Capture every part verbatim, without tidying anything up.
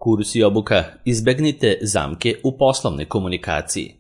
Kurs i obuka, izbegnite zamke u poslovnoj komunikaciji.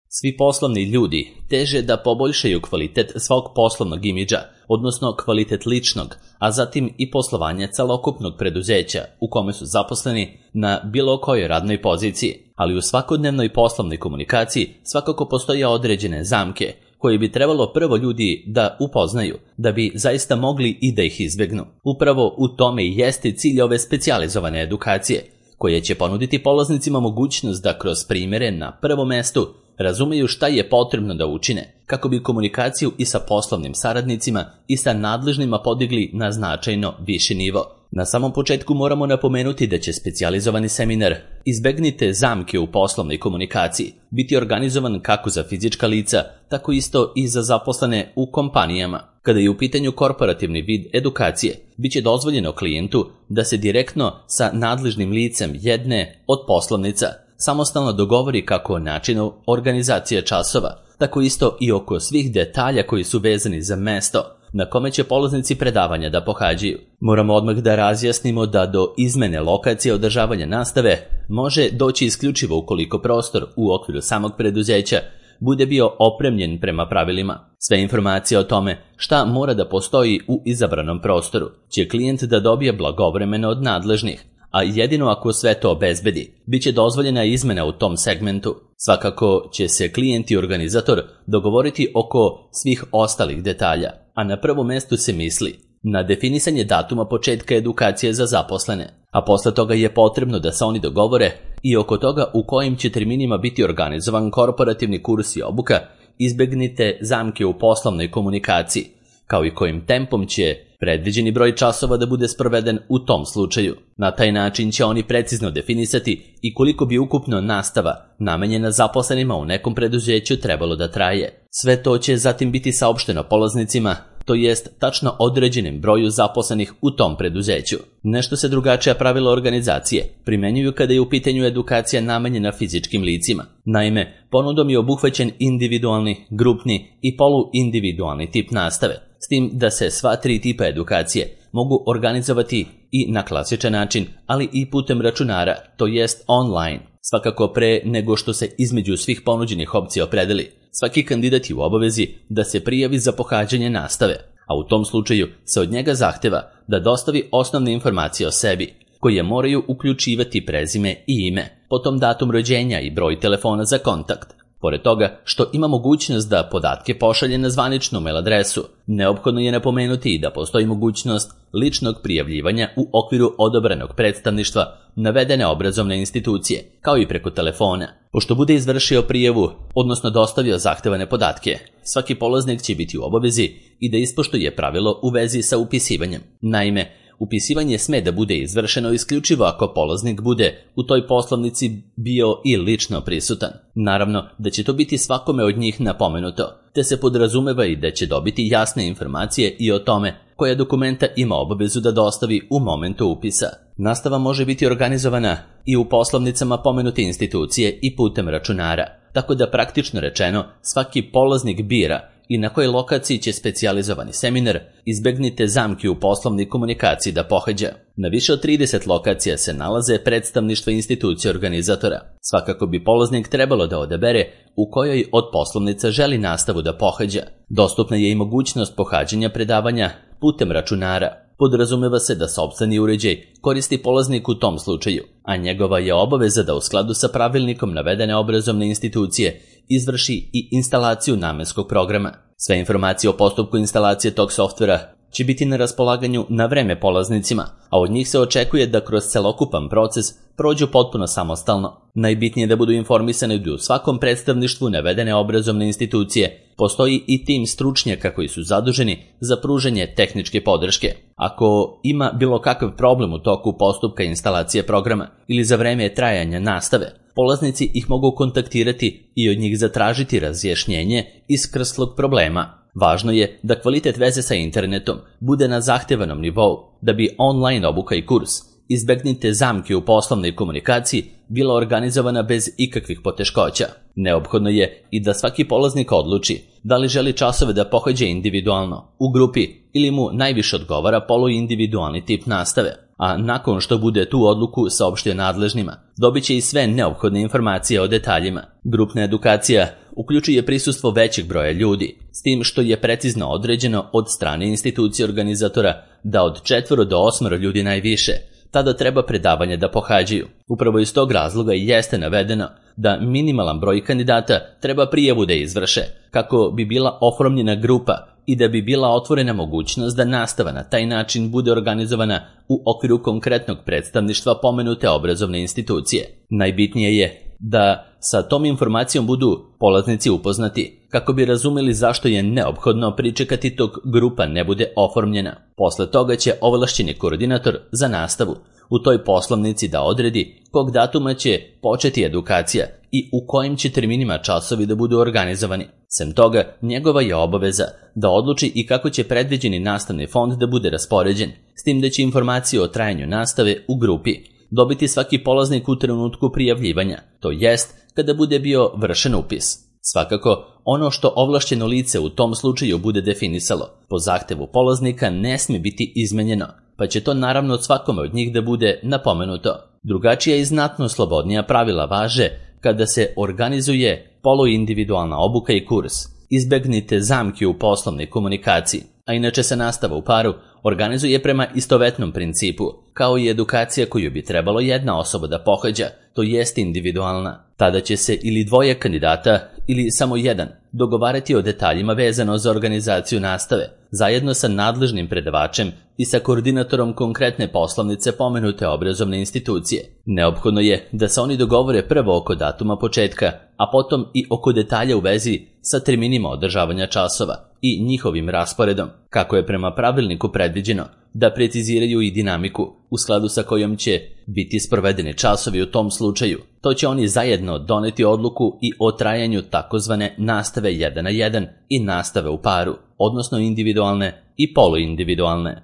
Svi poslovni ljudi teže da poboljšaju kvalitet svog poslovnog imidža, odnosno kvalitet ličnog, a zatim i poslovanja celokupnog preduzeća u kome su zaposleni na bilo kojoj radnoj poziciji, ali u svakodnevnoj poslovnoj komunikaciji svakako postoje određene zamke koje bi trebalo prvo ljudi da upoznaju, da bi zaista mogli i da ih izbegnu. Upravo u tome i jeste cilj ove specijalizovane edukacije, koje će ponuditi polaznicima mogućnost da kroz primjere na prvom mestu razumeju šta je potrebno da učine, kako bi komunikaciju i sa poslovnim saradnicima i sa nadležnima podigli na značajno viši nivo. Na samom početku moramo napomenuti da će specijalizovani seminar Izbegnite zamke u poslovnoj komunikaciji biti organizovan kako za fizička lica, tako isto i za zaposlene u kompanijama. Kada je u pitanju korporativni vid edukacije, bit će dozvoljeno klijentu da se direktno sa nadležnim licem jedne od poslovnica samostalno dogovori kako o načinu organizacije časova, tako isto i oko svih detalja koji su vezani za mesto na kome će polaznici predavanja da pohađaju. Moramo odmah da razjasnimo da do izmene lokacije održavanja nastave može doći isključivo ukoliko prostor u okviru samog preduzeća bude bio opremljen prema pravilima. Sve informacije o tome šta mora da postoji u izabranom prostoru će klijent da dobije blagovremeno od nadležnih, a jedino ako sve to obezbedi, bit će dozvoljena izmena u tom segmentu. Svakako će se klijent i organizator dogovoriti oko svih ostalih detalja, a na prvom mestu se misli na definisanje datuma početka edukacije za zaposlene, a posle toga je potrebno da se oni dogovore i oko toga u kojim će terminima biti organizovan korporativni kurs i obuka Izbegnite zamke u poslovnoj komunikaciji, kao i kojim tempom će predviđeni broj časova da bude sproveden u tom slučaju. Na taj način će oni precizno definisati i koliko bi ukupno nastava namenjena zaposlenima u nekom preduzeću trebalo da traje. Sve to će zatim biti saopšteno polaznicima, to jest tačno određenim broju zaposlenih u tom preduzeću. Nešto se drugačija pravila organizacije primenjuju kada je u pitanju edukacija namenjena fizičkim licima. Naime, ponudom je obuhvaćen individualni, grupni i poluindividualni tip nastave, s tim da se sva tri tipa edukacije mogu organizovati i na klasičan način, ali i putem računara, to jest online. Svakako pre nego što se između svih ponuđenih opcija opredeli, svaki kandidat je u obavezi da se prijavi za pohađanje nastave, a u tom slučaju se od njega zahteva da dostavi osnovne informacije o sebi, koje moraju uključivati prezime i ime, potom datum rođenja i broj telefona za kontakt. Pored toga što ima mogućnost da podatke pošalje na zvaničnu mail adresu, neophodno je napomenuti i da postoji mogućnost ličnog prijavljivanja u okviru odabranog predstavništva navedene obrazovne institucije, kao i preko telefona. Pošto bude izvršio prijavu, odnosno dostavio zahtevane podatke, svaki polaznik će biti u obavezi i da ispoštuje pravilo u vezi sa upisivanjem. Naime, upisivanje sme da bude izvršeno isključivo ako polaznik bude u toj poslovnici bio i lično prisutan. Naravno da će to biti svakome od njih napomenuto, te se podrazumeva i da će dobiti jasne informacije i o tome koja dokumenta ima obavezu da dostavi u momentu upisa. Nastava može biti organizovana i u poslovnicama pomenute institucije i putem računara, tako da praktično rečeno svaki polaznik bira i na kojoj lokaciji će specijalizovani seminar Izbegnite zamke u poslovnoj komunikaciji da pohađa. Na više od trideset lokacija se nalaze predstavništva institucije organizatora. Svakako bi polaznik trebalo da odabere u kojoj od poslovnica želi nastavu da pohađa. Dostupna je i mogućnost pohađanja predavanja putem računara. Podrazumeva se da sopstveni uređaj koristi polaznik u tom slučaju, a njegova je obaveza da u skladu sa pravilnikom navedene obrazovne institucije izvrši i instalaciju namenskog programa. Sve informacije o postupku instalacije tog softvera će biti na raspolaganju na vreme polaznicima, a od njih se očekuje da kroz celokupan proces prođu potpuno samostalno. Najbitnije je da budu informisani da u svakom predstavništvu navedene obrazovne institucije postoji i tim stručnjaka koji su zaduženi za pružanje tehničke podrške. Ako ima bilo kakav problem u toku postupka instalacije programa ili za vreme trajanja nastave, polaznici ih mogu kontaktirati i od njih zatražiti razjašnjenje iskrslog problema. Važno je da kvalitet veze sa internetom bude na zahtevanom nivou, da bi online obuka i kurs Izbegnite zamke u poslovnoj komunikaciji bila organizovana bez ikakvih poteškoća. Neophodno je i da svaki polaznik odluči da li želi časove da pohađa individualno, u grupi ili mu najviše odgovara poluindividualni tip nastave. a nakon što bude tu odluku saopštio nadležnima, dobit će i sve neophodne informacije o detaljima. Grupna edukacija uključuje prisustvo većeg broja ljudi, s tim što je precizno određeno od strane institucije organizatora da od četvoro do osmoro ljudi najviše, tada treba predavanje da pohađaju. Upravo iz tog razloga jeste navedeno da minimalan broj kandidata treba prijavu da izvrše, kako bi bila oformljena grupa i da bi bila otvorena mogućnost da nastava na taj način bude organizovana u okviru konkretnog predstavništva pomenute obrazovne institucije. Najbitnije je da sa tom informacijom budu polaznici upoznati, kako bi razumeli zašto je neophodno pričekati dok grupa ne bude oformljena. Posle toga će ovlašćeni koordinator za nastavu u toj poslovnici da odredi kog datuma će početi edukacija i u kojim će terminima časovi da budu organizovani. Sem toga, njegova je obaveza da odluči i kako će predviđeni nastavni fond da bude raspoređen, s tim da će informacije o trajanju nastave u grupi dobiti svaki polaznik u trenutku prijavljivanja, to jest kada bude bio vršen upis. Svakako, ono što ovlašćeno lice u tom slučaju bude definisalo po zahtevu polaznika ne smije biti izmenjeno, pa će to naravno od svakome od njih da bude napomenuto. Drugačija i znatno slobodnija pravila važe kada se organizuje poluindividualna obuka i kurs. Izbegnite zamke u poslovnoj komunikaciji, a inače se nastava u paru organizuje prema istovetnom principu, kao i edukacija koju bi trebalo jedna osoba da pohađa, to jest individualna. Tada će se ili dvoje kandidata ili samo jedan dogovarati o detaljima vezano za organizaciju nastave, zajedno sa nadležnim predavačem i sa koordinatorom konkretne poslovnice pomenute obrazovne institucije. Neophodno je da se oni dogovore prvo oko datuma početka, a potom i oko detalja u vezi sa terminima održavanja časova i njihovim rasporedom, kako je prema pravilniku predviđeno, da preciziraju i dinamiku u skladu sa kojom će biti sprovedeni časovi u tom slučaju. To će oni zajedno doneti odluku i o trajanju takozvane nastave jedan na jedan i nastave u paru, odnosno individualne i poluindividualne.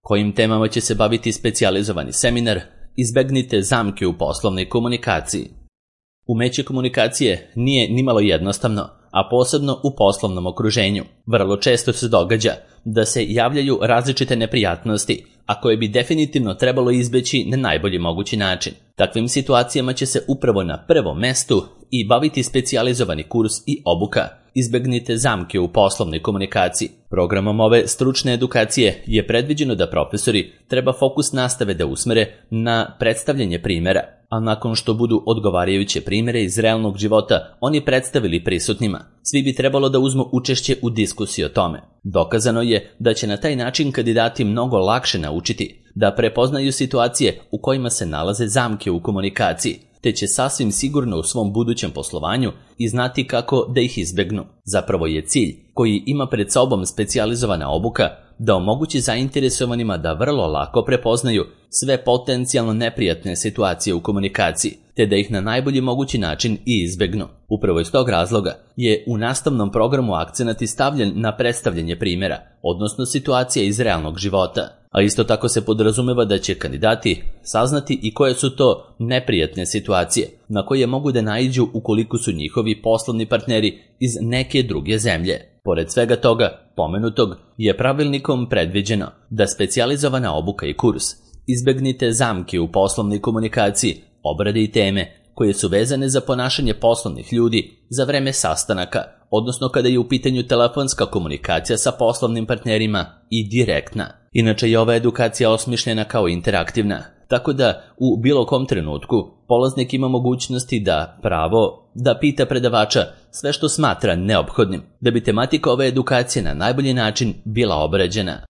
Kojim temama će se baviti specijalizovani seminar? Izbegnite zamke u poslovnoj komunikaciji. Umeće komunikacije nije nimalo jednostavno, a posebno u poslovnom okruženju. Vrlo često se događa da se javljaju različite neprijatnosti, a koje bi definitivno trebalo izbeći na najbolji mogući način. Takvim situacijama će se upravo na prvom mestu i baviti specijalizovani kurs i obuka. Izbegnite zamke u poslovnoj komunikaciji. Programom ove stručne edukacije je predviđeno da profesori treba fokus nastave da usmere na predstavljanje primjera, a nakon što budu odgovarajuće primjere iz realnog života oni predstavili prisutnima, svi bi trebalo da uzmu učešće u diskusiji o tome. Dokazano je da će na taj način kandidati mnogo lakše naučiti da prepoznaju situacije u kojima se nalaze zamke u komunikaciji, te će sasvim sigurno u svom budućem poslovanju i znati kako da ih izbegnu. Zapravo je cilj koji ima pred sobom specijalizovana obuka da omogući zainteresovanima da vrlo lako prepoznaju sve potencijalno neprijatne situacije u komunikaciji, te da ih na najbolji mogući način i izbegnu. Upravo iz tog razloga je u nastavnom programu akcenat stavljen na predstavljanje primjera, odnosno situacija iz realnog života. A isto tako se podrazumeva da će kandidati saznati i koje su to neprijatne situacije na koje mogu da naiđu ukoliko su njihovi poslovni partneri iz neke druge zemlje. Pored svega toga, pomenutog je pravilnikom predviđeno da specijalizovana obuka i kurs Izbegnite zamke u poslovnoj komunikaciji obrade i teme koje su vezane za ponašanje poslovnih ljudi za vreme sastanaka, odnosno kada je u pitanju telefonska komunikacija sa poslovnim partnerima i direktna. Inače je ova edukacija osmišljena kao interaktivna, tako da u bilo kom trenutku polaznik ima mogućnosti da pravo da pita predavača sve što smatra neophodnim, da bi tematika ove edukacije na najbolji način bila obrađena.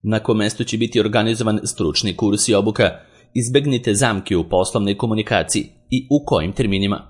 Na kom mestu će biti organizovan stručni kurs i obuka Izbegnite zamke u poslovnoj komunikaciji i u kojim terminima.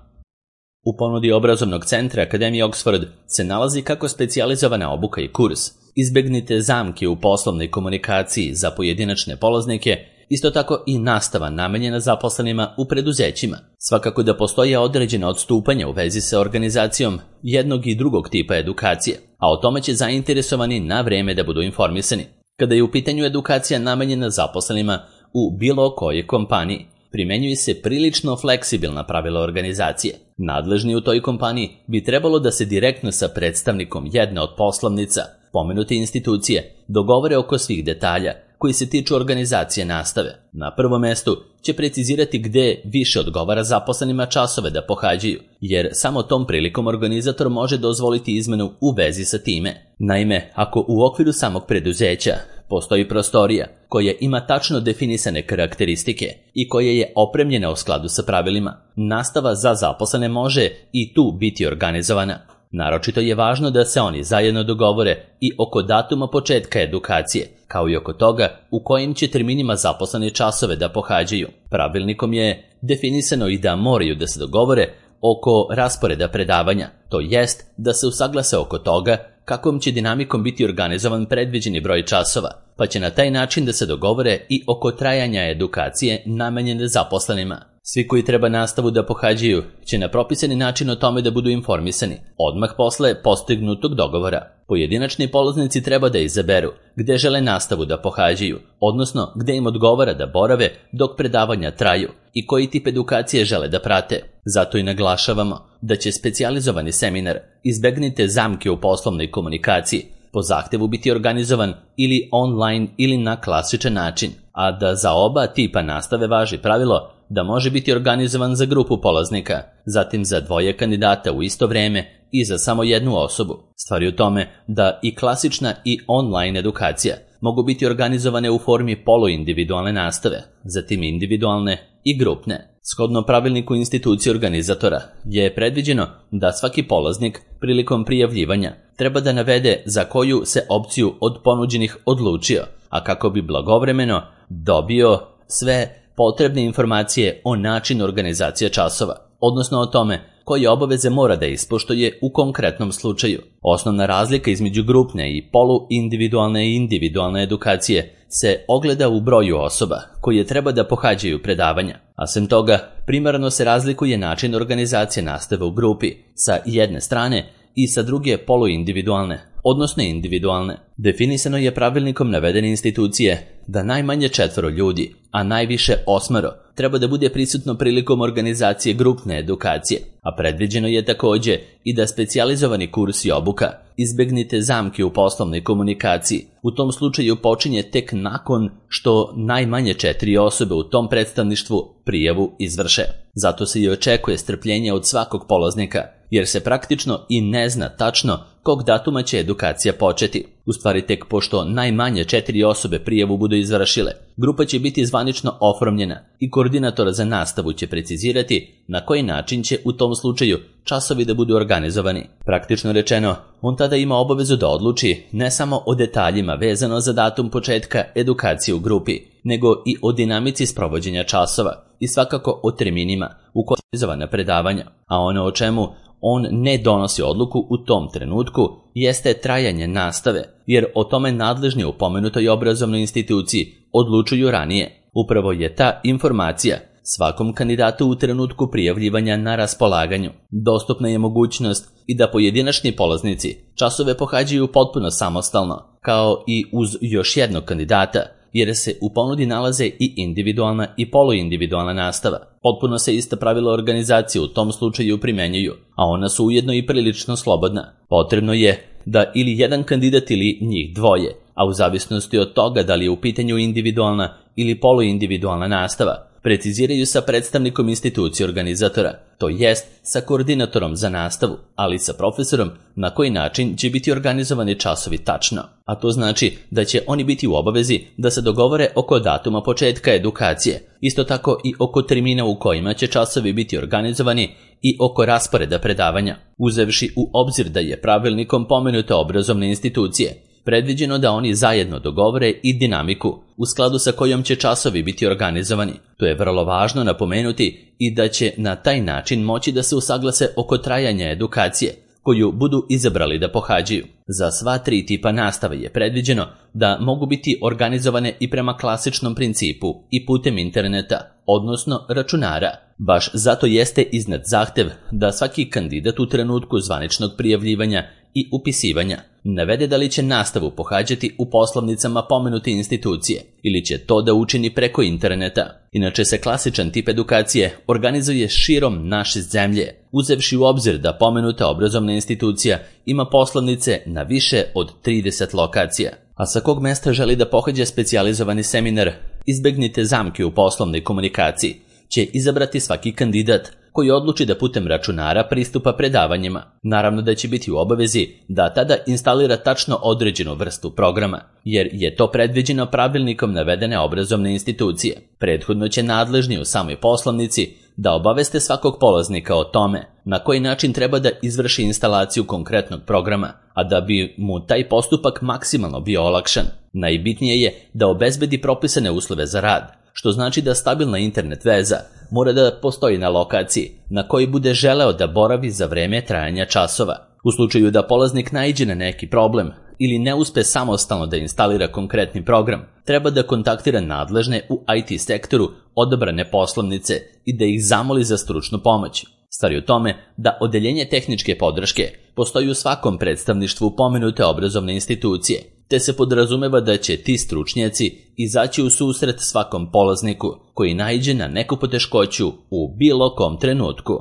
U ponudi obrazovnog centra Akademije Oxford se nalazi kako specijalizovana obuka i kurs Izbegnite zamke u poslovnoj komunikaciji za pojedinačne polaznike, isto tako i nastava namenjena zaposlenima u preduzećima. Svakako da postoje određena odstupanja u vezi sa organizacijom jednog i drugog tipa edukacije, a o tome će zainteresovani na vreme da budu informisani. Kada je u pitanju edukacija namenjena zaposlenima u bilo kojoj kompaniji, primenjuju se prilično fleksibilna pravila organizacije. Nadležni u toj kompaniji bi trebalo da se direktno sa predstavnikom jedne od poslovnica pomenute institucije dogovore oko svih detalja koji se tiču organizacije nastave. Na prvom mestu će precizirati gde više odgovara zaposlenima časove da pohađaju, jer samo tom prilikom organizator može dozvoliti izmenu u vezi sa time. Naime, ako u okviru samog preduzeća postoji prostorija koja ima tačno definisane karakteristike i koja je opremljena u skladu sa pravilima, nastava za zaposlene može i tu biti organizovana. Naročito je važno da se oni zajedno dogovore i oko datuma početka edukacije, kao i oko toga u kojim će terminima zaposleni časove da pohađaju. Pravilnikom je definisano i da moraju da se dogovore oko rasporeda predavanja, to jest da se usaglase oko toga kakvom će dinamikom biti organizovan predviđeni broj časova, pa će na taj način da se dogovore i oko trajanja edukacije namenjene zaposlenima. Svi koji treba nastavu da pohađaju će na propisani način o tome da budu informisani, odmah posle postignutog dogovora. Pojedinačni polaznici treba da izaberu gde žele nastavu da pohađaju, odnosno gde im odgovara da borave dok predavanja traju i koji tip edukacije žele da prate. Zato i naglašavamo da će specijalizovani seminar Izbegnite zamke u poslovnoj komunikaciji po zahtevu biti organizovan ili online ili na klasičan način, a da za oba tipa nastave važi pravilo da može biti organizovan za grupu polaznika, zatim za dvoje kandidata u isto vreme i za samo jednu osobu. Stvar je u tome da i klasična i online edukacija mogu biti organizovane u formi poluindividualne nastave, zatim individualne i grupne. Shodno pravilniku institucije organizatora je predviđeno da svaki polaznik prilikom prijavljivanja treba da navede za koju se opciju od ponuđenih odlučio, a kako bi blagovremeno dobio sve potrebne informacije o načinu organizacije časova, odnosno o tome koje obaveze mora da ispoštuje u konkretnom slučaju. Osnovna razlika između grupne i poluindividualne i individualne edukacije se ogleda u broju osoba koje treba da pohađaju predavanja, a sem toga primarno se razlikuje način organizacije nastave u grupi sa jedne strane i sa druge poluindividualne, odnosno individualne. Definisano je pravilnikom navedene institucije da najmanje četvoro ljudi, a najviše osmero, treba da bude prisutno prilikom organizacije grupne edukacije, a predviđeno je takođe i da specijalizovani kurs i obuka Izbegnite zamke u poslovnoj komunikaciji u tom slučaju počinje tek nakon što najmanje četiri osobe u tom predstavništvu prijavu izvrše. Zato se i očekuje strpljenje od svakog polaznika, jer se praktično i ne zna tačno kog datuma će edukacija početi. U stvari tek pošto najmanje četiri osobe prijavu budu izvršile, grupa će biti zvanično oformljena i koordinator za nastavu će precizirati na koji način će u tom slučaju časovi da budu organizovani. Praktično rečeno, on tada ima obavezu da odluči ne samo o detaljima vezano za datum početka edukacije u grupi, nego i o dinamici sprovođenja časova i svakako o terminima u kojima je organizovana predavanja, a ono o čemu on ne donosi odluku u tom trenutku jeste trajanje nastave, jer o tome nadležni u pomenutoj obrazovnoj instituciji odlučuju ranije. Upravo je ta informacija svakom kandidatu u trenutku prijavljivanja na raspolaganju. Dostupna je mogućnost i da pojedinačni polaznici časove pohađaju potpuno samostalno, kao i uz još jednog kandidata, jer se u ponudi nalaze i individualna i poluindividualna nastava. Potpuno se ista pravila organizacije u tom slučaju primenjuju, a ona su ujedno i prilično slobodna. Potrebno je da ili jedan kandidat ili njih dvoje, a u zavisnosti od toga da li je u pitanju individualna ili poluindividualna nastava, preciziraju sa predstavnikom institucije organizatora, to jest sa koordinatorom za nastavu, ali sa profesorom na koji način će biti organizovani časovi tačno. A to znači da će oni biti u obavezi da se dogovore oko datuma početka edukacije, isto tako i oko termina u kojima će časovi biti organizovani i oko rasporeda predavanja, uzevši u obzir da je pravilnikom pomenute obrazovne institucije predviđeno da oni zajedno dogovore i dinamiku u skladu sa kojom će časovi biti organizovani. To je vrlo važno napomenuti i da će na taj način moći da se usaglase oko trajanja edukacije koju budu izabrali da pohađaju. Za sva tri tipa nastave je predviđeno da mogu biti organizovane i prema klasičnom principu i putem interneta, odnosno računara. Baš zato jeste iznad zahtev da svaki kandidat u trenutku zvaničnog prijavljivanja i upisivanja navede da li će nastavu pohađati u poslovnicama pomenute institucije ili će to da učini preko interneta. Inače se klasičan tip edukacije organizuje širom naše zemlje, uzevši u obzir da pomenuta obrazovna institucija ima poslovnice na više od trideset lokacija. a sa kog mesta želi da pohađa specijalizovani seminar Izbegnite zamke u poslovnoj komunikaciji, će izabrati svaki kandidat koji odluči da putem računara pristupa predavanjima. Naravno da će biti u obavezi da tada instalira tačno određenu vrstu programa, jer je to predviđeno pravilnikom navedene obrazovne institucije. Prethodno će nadležni u samoj poslovnici da obaveste svakog polaznika o tome na koji način treba da izvrši instalaciju konkretnog programa, a da bi mu taj postupak maksimalno bio olakšan. Najbitnije je da obezbedi propisane uslove za rad, što znači da stabilna internet veza mora da postoji na lokaciji na koji bude želeo da boravi za vreme trajanja časova. U slučaju da polaznik naiđe na neki problem ili ne uspe samostalno da instalira konkretni program, treba da kontaktira nadležne u I T sektoru odabrane poslovnice i da ih zamoli za stručnu pomoć. Stvar je u tome da odeljenje tehničke podrške postoji u svakom predstavništvu pomenute obrazovne institucije, te se podrazumeva da će ti stručnjaci izaći u susret svakom polazniku koji naiđe na neku poteškoću u bilo kom trenutku.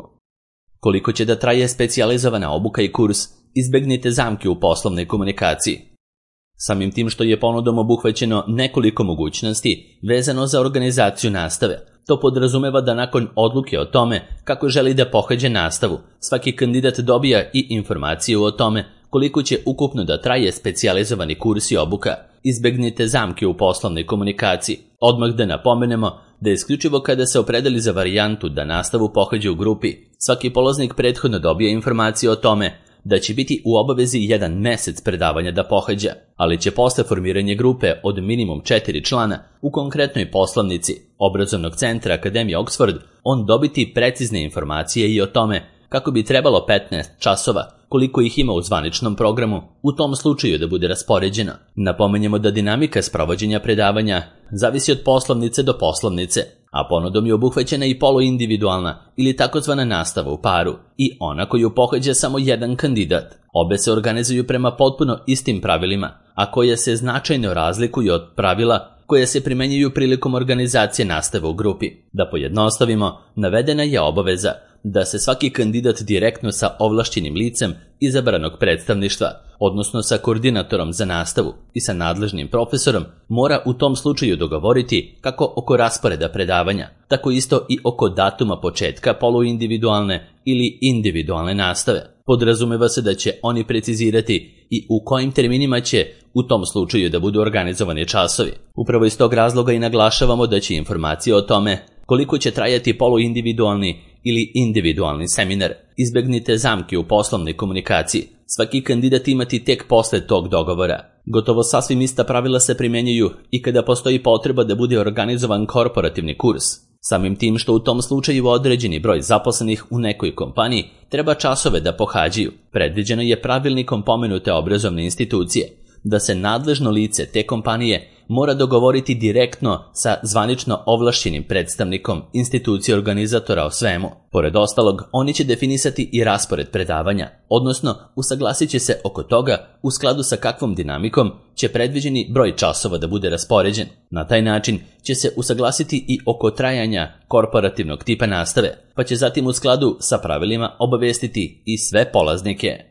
Koliko će da traje specijalizovana obuka i kurs Izbegnite zamke u poslovnoj komunikaciji? Samim tim što je ponudom obuhvaćeno nekoliko mogućnosti vezano za organizaciju nastave, to podrazumeva da nakon odluke o tome kako želi da pohađa nastavu, svaki kandidat dobija i informaciju o tome koliko će ukupno da traje specijalizovani kurs i obuka Izbegnite zamke u poslovnoj komunikaciji. Odmah da napomenemo da isključivo kada se opredeli za varijantu da nastavu pohađa u grupi, svaki polaznik prethodno dobija informacije o tome da će biti u obavezi jedan mesec predavanja da pohađa, ali će posle formiranja grupe od minimum četiri člana u konkretnoj poslovnici Obrazovnog centra Akademije Oxford on dobiti precizne informacije i o tome kako bi trebalo petnaest časova, koliko ih ima u zvaničnom programu, u tom slučaju da bude raspoređeno. Napomenjemo da dinamika sprovođenja predavanja zavisi od poslovnice do poslovnice, a ponudom je obuhvaćena i poluindividualna ili takozvana nastava u paru i ona koju pohađa samo jedan kandidat. Obe se organizuju prema potpuno istim pravilima, a koje se značajno razlikuju od pravila koje se primenjuju prilikom organizacije nastave u grupi. Da pojednostavimo, navedena je obaveza da se svaki kandidat direktno sa ovlašćenim licem izabranog predstavništva, odnosno sa koordinatorom za nastavu i sa nadležnim profesorom, mora u tom slučaju dogovoriti kako oko rasporeda predavanja, tako isto i oko datuma početka poluindividualne ili individualne nastave. Podrazumeva se da će oni precizirati i u kojim terminima će u tom slučaju da budu organizovani časovi. Upravo iz tog razloga i naglašavamo da će informacije o tome koliko će trajati poluindividualni ili individualni seminar Izbegnite zamke u poslovnoj komunikaciji svaki kandidat imati tek posle tog dogovora. Gotovo sasvim ista pravila se primjenjuju i kada postoji potreba da bude organizovan korporativni kurs. Samim tim što u tom slučaju određeni broj zaposlenih u nekoj kompaniji treba časove da pohađaju, predviđeno je pravilnikom pomenute obrazovne institucije da se nadležno lice te kompanije mora dogovoriti direktno sa zvanično ovlašćenim predstavnikom institucije organizatora o svemu. Pored ostalog, oni će definisati i raspored predavanja, odnosno usaglasit će se oko toga u skladu sa kakvom dinamikom će predviđeni broj časova da bude raspoređen. Na taj način će se usaglasiti i oko trajanja korporativnog tipa nastave, pa će zatim u skladu sa pravilima obavestiti i sve polaznike.